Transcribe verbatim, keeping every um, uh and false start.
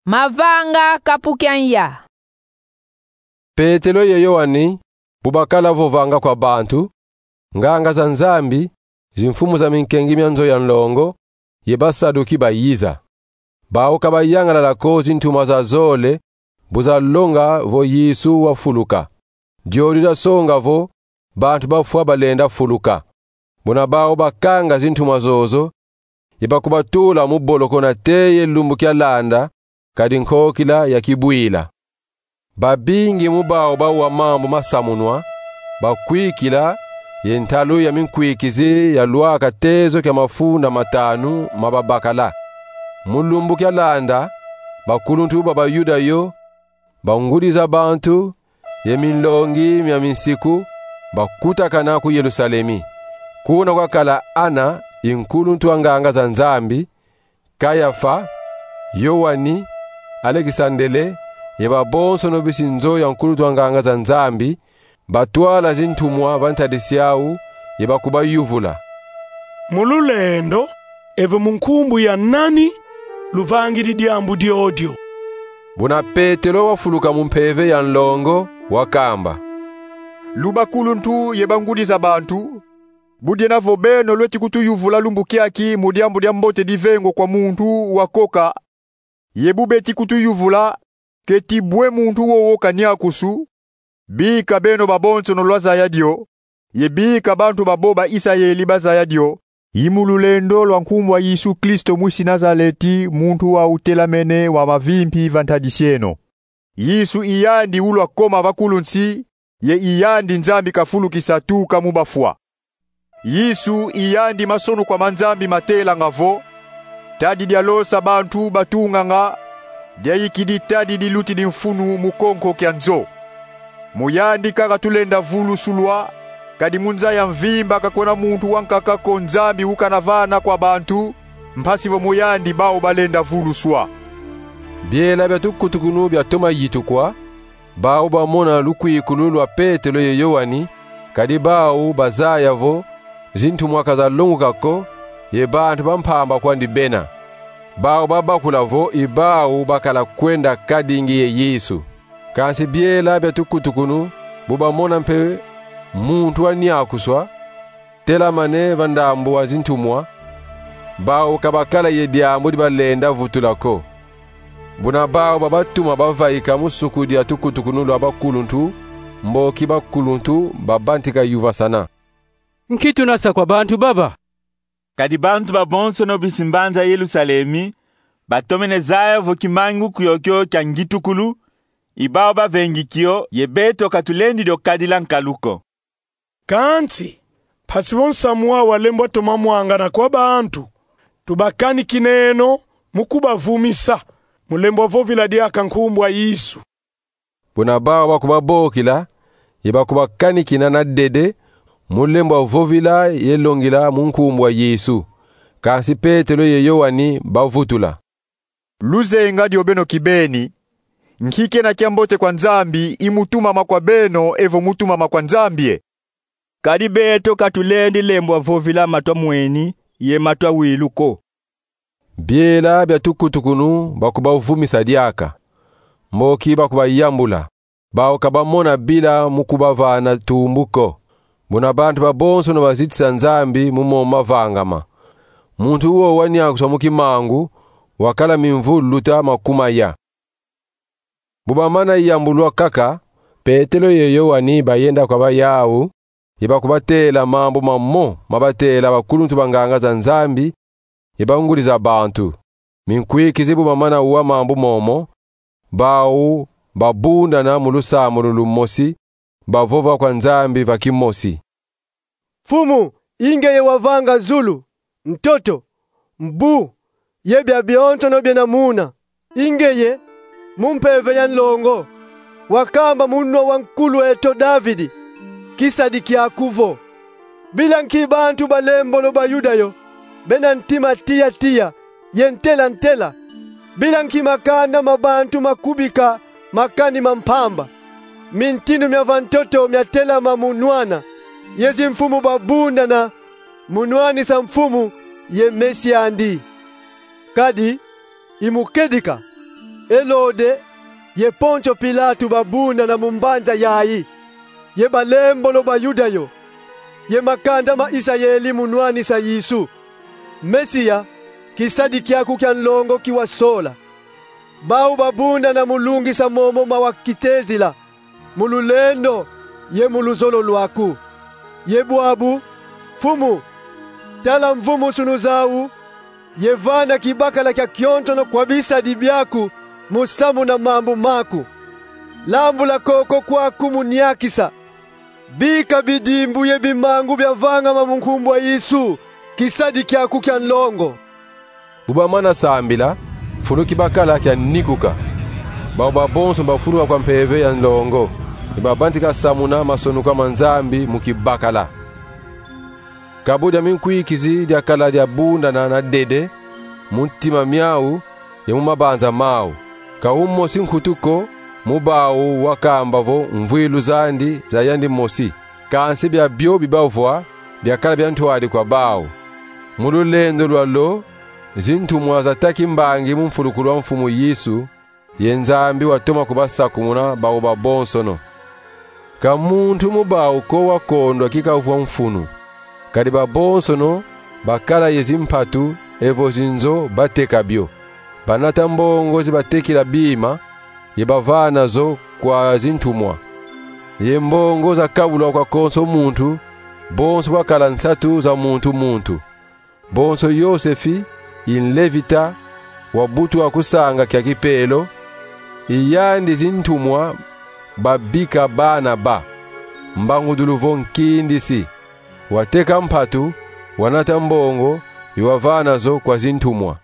Mavanga kapu kia nza. Petelo ye Yoani bu bakala vovanga kwa bantu, nganga za Nzambi, zimfumu za minkengi mia nzo ya nlongo, ye Basaduki bayiza. Bawu ka bayangalala ko zintumwa za zole bu zalonga vo Yesu wafuluka. Dio dizasonga vo bantu bafwa balenda fuluka. Buna bawu bakanga zintumwa zozo, ye bakubatula mu boloko nate ye lumbu kialanda, kadi nkokila yakibwila. Babingi mu bawu bawa mambu masamunwa, bakwikila, ye ntalu ya minkwikizi yalwaka tezo kia mafunda matanu ma babakala. Mu lumbu kialanda, bakuluntu ba Bayuda yo, bangudi za bantu, ye minlongi mia minsiku, bakutakana ku Yerusalemi. Kuna kwakala Ana, i nkuluntu wa nganga za Nzambi, Kayafa, Yoani, Alekisandele, ye babonsono bisi nzo ya nkuluntu wa nganga za Nzambi, batwala zintumwa va ntadisi yawu, ye bakubayuvula: Mu lulendo, evo mu nkumbu ya nani luvangidi diambu diodio? Buna Petelo wafuluka mu mpeve ya nlongo, wakamba: Lu bakuluntu ye bangudi za bantu, bu diena vo beno lweti kutuyuvula lumbu kiaki mu diambu dia mbote divengwa kwa muntu wakoka, ye bu beti kutuyuvula keti bwe muntu wowo kaniakusu, bika beno babonsono lwazaya dio, ye bika bantu babo ba Isayeli bazaya dio, i mu lulendo lwa nkumbu a Yesu Kristo mwisi Nazaleti, muntu wa utelamene wa mavimpi va ntadisi eno. Yesu i yandi ulwakoma va kulu nsi, ye i yandi Nzambi kafulukisa tuka mu bafwa. Yesu i yandi masonuka ma Nzambi matelanga vo: Tadi dialosa bantu batunganga, diayikidi tadi dilutidi mfunu mu konko kia nzo. Mu yandi kaka tulenda vulusulwa, kadi mu nza ya mvimba ka kwena muntu wankaka ko Nzambi ukana vana kwa bantu, mpasi vo mu yandi bawu balenda vuluswa. Biela bia tukutukunu biatoma yitukwa, bawu bamona lukwikulu lwa Petelo ye Yoani, kadi bawu bazaya vo zintumwa ka zalonguka ko, ye bantu ba mpamba kwandi bena. Bawu babakula vo i bawu bakala kwenda kadingi ye Yesu. Kansi biela bia tukutukunu bu bamona mpe muntu waniakuswa telamane va ndambu wa zintumwa, bawu ka bakala ye diambu di balenda vutula ko. Buna bawu babatuma bavaika mu suku dia tukutukunu lwa bakuluntu, mboki bakuluntu babantika yuvasana: Nki tuna sa kwa bantu baba? Kadi bantu babonsono bisi mbanza Yerusalemi batomene zaya vo kimangu kiokio kia ngitukulu, i bawu bavengi kio, ye beto ka tulendi dio kadila nkalu ko. Kansi, mpasi vo nsamu wawu walembwa toma mwangana kwa bantu, tubakanikineno mu kubavumisa, mu lembwa vovila diaka nkumbu a Yesu. Buna bawu bakubabokila, ye bakubakanikina na dede, mu lembwa vovila ye longila mu nkumbu a Yesu. Kansi Petelo ye Yoani bavutula: Luzenga dio beno kibeni, nki kena kiambote kwa Nzambi, i mu tumama kwa beno evo mu tumama kwa Nzambi e? Kadi beto ka tulendi lembwa vovila matwa mweni ye matwa wilu ko. Biela bia tukutukunu bakubavumisa diaka, mboki bakubayambula, bawu ka bamona bila mu kubavana tumbu ko. Buna bantu babonsono bazitisa Nzambi mu momo mavangama. Muntu wowo waniakuswa mu kimangu wakala mimvu luta makumaya. Bu bamana yambulwa kaka, Petelo ye Yoani bayenda kwa bayawu, ye bakubatela mambu mamo mabatela bakuluntu ba nganga za Nzambi ye bangudi za bantu. Minkwikizi bu bamana wa mambu momo, bawu babundana mu lusambulu lumosi, bavova kwa Nzambi va kimosi: Mfumu, i ngeye wavanga zulu, ntoto, mbu, ye biabionsono biena muna. I ngeye, mu mpeve ya nlongo, wakamba mu nwa wa nkulu eto Davidi, kisadi kiaku vo: Bila nki bantu ba lembolo Bayuda yo, bena ntima tiya-tiya ye ntela-ntela? Bila nki makanda ma bantu makubika makani ma mpamba? Mintinu mia va ntoto miatelama mu nwana, ye zimfumu babundana mu nwanisa Mfumu ye Mesi andi. Kadi, i mu kedika, Elode ye Pontio Pilatu babundana mu mbanza yayi, ye balembolo ba Yuda yo, ye makanda ma Isayeli mu nwanisa Yesu, Mesia, kisadi kiaku kia nlongo ki wasola. Bau babundana mu lungisa momo ma wakitezila, mu lulendo ye mu luzolo lwaku. Ye bwabu, Mfumu, tala mvumu sunu zau, ye vana kibakala kia kionsono kwa bisadi biaku mu samuna mambu maku. Lambula koko kwaku mu niakisa. Bika bidimbu ye bimangu biavangama mu nkumbu a Yesu, kisadi kiaku kia nlongo. Bu bamana sambila, mfunu kibakala kianikuka. Bau babonso bafuluka kwa mpeve ya nlongo, ye babantika samuna masonuka ma Nzambi mu kibakala. Kabu dia minkwikizi diakala diabundana na dede mu ntima miau ye mu mabanza mau. Ka umosi nkutu ko mu bau wakamba vo mvwilu zandi za yandi mosi. Kansi biabio bibavwa biakala bia ntwadi kwa bau. Mu lulendo lwalo, zintumwa zataki mbangi mu mfulukulu a Mfumu Yesu, ye Nzambi watoma kubasakumuna bau babonsono. Ka muntu mu bau ko wakondwa kikavwa mfunu. Kadi babonsono bakala ye zimpatu evo zinzo bateka bio. Banata mbongo zi batekila bima, ye bavana zo kwa zintumwa. Ye mbongo zakabulwa kwa konso muntu, bonso bwakala nsatu za muntu muntu. Bonso Yosefi, i Nlevita, wabutwa ku sanga kia kipelo, i yandi zintumwa babika Banaba, mbangudulu vo nkindisi. Wateka mpatu, wanata mbongo, ye wavana zo kwa zintumwa.